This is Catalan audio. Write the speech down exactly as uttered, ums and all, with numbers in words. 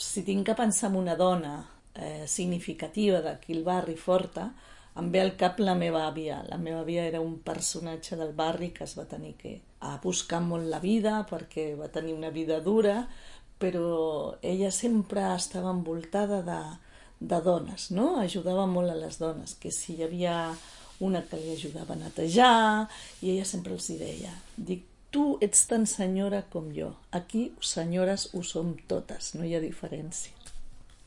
si tinc que pensar en una dona eh, significativa d'aquí al barri forta, em ve al cap la meva àvia. La meva àvia era un personatge del barri que es va tenir que a buscar molt la vida perquè va tenir una vida dura, però ella sempre estava envoltada de, de dones, no? Ajudava molt a les dones, que si hi havia una que li ajudava a netejar, i ella sempre els deia, dic, tu ets tan senyora com jo, aquí senyores ho som totes, no hi ha diferència.